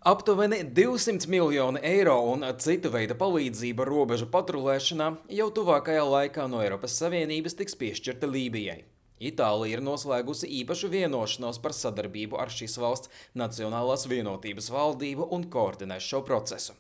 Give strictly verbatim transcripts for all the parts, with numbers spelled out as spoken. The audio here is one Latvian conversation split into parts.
Aptuveni divsimt miljoni eiro un cita veida palīdzība robežu patrulēšanā jau tuvākajā laikā no Eiropas Savienības tiks piešķirta Lībijai. Itālija ir noslēgusi īpašu vienošanos par sadarbību ar šīs valsts Nacionālās vienotības valdību un koordinēs šo procesu.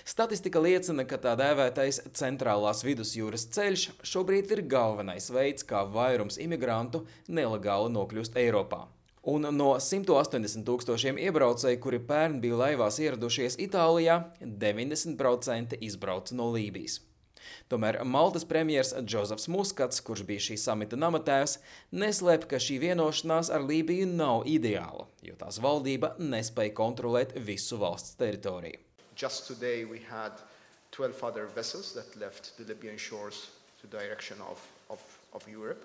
Statistika liecina, ka tā dēvētais centrālās vidusjūras ceļš šobrīd ir galvenais veids, kā vairums imigrantu nelegāli nokļūst Eiropā. Un no simt astoņdesmit tūkstošiem iebraucēju, kuri pērn bija laivās ieradušies Itālijā, deviņdesmit procenti izbrauca no Lībijas. Tomēr Maltas premjers Džozefs Muskats, kurš bija šī samita namatēvs, neslēp, ka šī vienošanās ar Lībiju nav ideāla, jo tās valdība nespēja kontrolēt visu valsts teritoriju. Just today we had twelve other vessels that left the Libyan shores to the direction of, of, of Europe.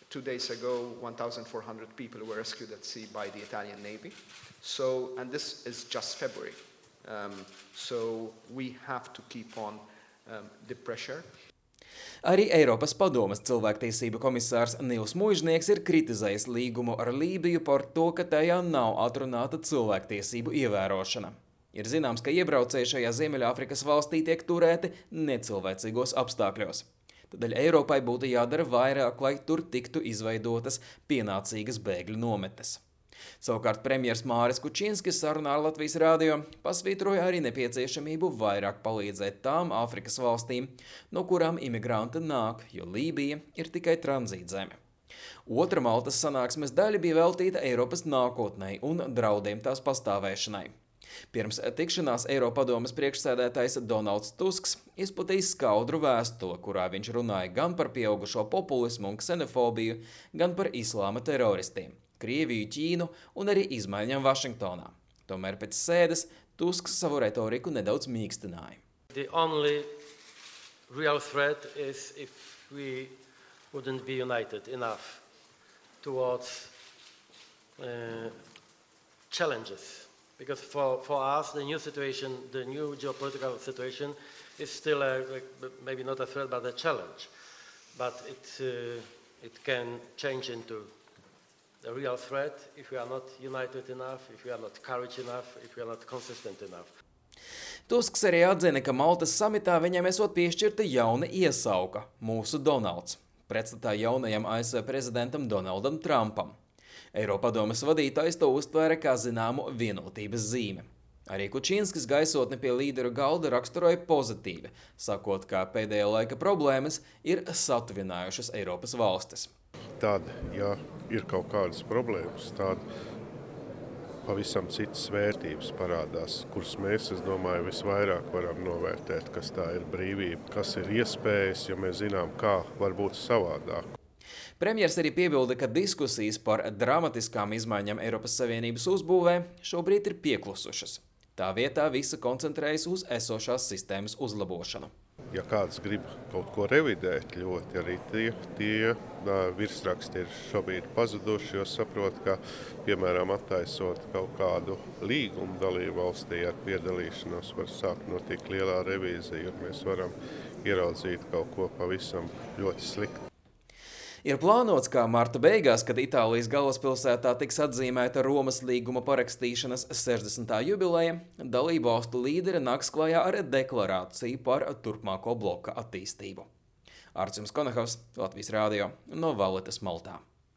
Two days ago, one thousand four hundred people were rescued at sea by the Italian Navy. So, and this is just February. Um, so we have to keep on um, the pressure. Arī Eiropas padomes cilvēktiesību komisārs Nils Muižnieks ir kritizējis līgumu ar Lībiju par to, ka tajā nav atrunāta cilvēktiesību ievērošana. Ir zināms, ka iebraucēji šajā Ziemeļāfrikas valstī tiek turēti necilvēcīgos apstākļos. Tādēļ Eiropai būtu jādara vairāk, lai tur tiktu izveidotas pienācīgas bēgļu nometnes. Savukārt premjers Māris Kučinskis sarunā ar Latvijas rādio pasvītroja arī nepieciešamību vairāk palīdzēt tām Āfrikas valstīm, no kurām imigranti nāk, jo Lībija ir tikai tranzītzeme. Otra Maltas sanāksmes daļa bija veltīta Eiropas nākotnei un draudiem tās pastāvēšanai. Pirms tikšanās Eiropadomes priekšsēdētājs Donalds Tusks izplatīja skaudru vēstuli, kurā viņš runāja gan par pieaugušo populismu un ksenofobiju, gan par islāma teroristiem, Krieviju, Ķīnu un arī izmaiņām Vašingtonā. Tomēr pēc sēdes Tusks savu retoriku nedaudz mīkstināja. The only real threat is if we wouldn't be united enough towards uh, challenges. Because for, for us, the new situation, the new geopolitical situation is still a, like, maybe not a threat, but a challenge. But it, uh, it can change into a real threat if we are not united enough, if we are not courage enough, if we are not consistent enough. Tusks arī atzina, ka Maltas samitā viņam esot piešķirta jauna iesauka – mūsu Donalds, pretstatā jaunajam A S V prezidentam Donaldam Trumpam. Eiropadomes vadītājs to uztvēra kā zināmu vienotības zīme. Arī Kučinskis gaisotni pie līderu galda raksturoja pozitīvi, sakot, ka pēdējā laika problēmas ir satuvinājušas Eiropas valstis. Tad, ja ir kaut kādas problēmas, tad pavisam citas vērtības parādās, kuras mēs, es domāju, visvairāk varam novērtēt, kas tā ir brīvība, kas ir iespējas, jo mēs zinām, kā var būt savādāk. Premjers arī piebilda, ka diskusijas par dramatiskām izmaiņām Eiropas Savienības uzbūvē šobrīd ir pieklusušas. Tā vietā visa koncentrējas uz esošās sistēmas uzlabošanu. Ja kāds grib kaut ko revidēt, ļoti arī tie, tie nā, virsraksti ir šobrīd pazuduši, jo saprot, ka, piemēram, attaisot kaut kādu līgumu dalību valstī ar piedalīšanos, var sākt notikt lielā revīzija, un mēs varam ieraudzīt kaut ko pavisam ļoti sliktu. Ir plānots, ka marta beigās, kad Itālijas galvaspilsētā tiks atzīmēta Romas līguma parakstīšanas sešdesmitā jubileja, dalību valstu līderi nāks klajā ar deklarāciju par turpmāko bloka attīstību. Artjums Konakovs, Latvijas rādio, no Valletas, Maltā.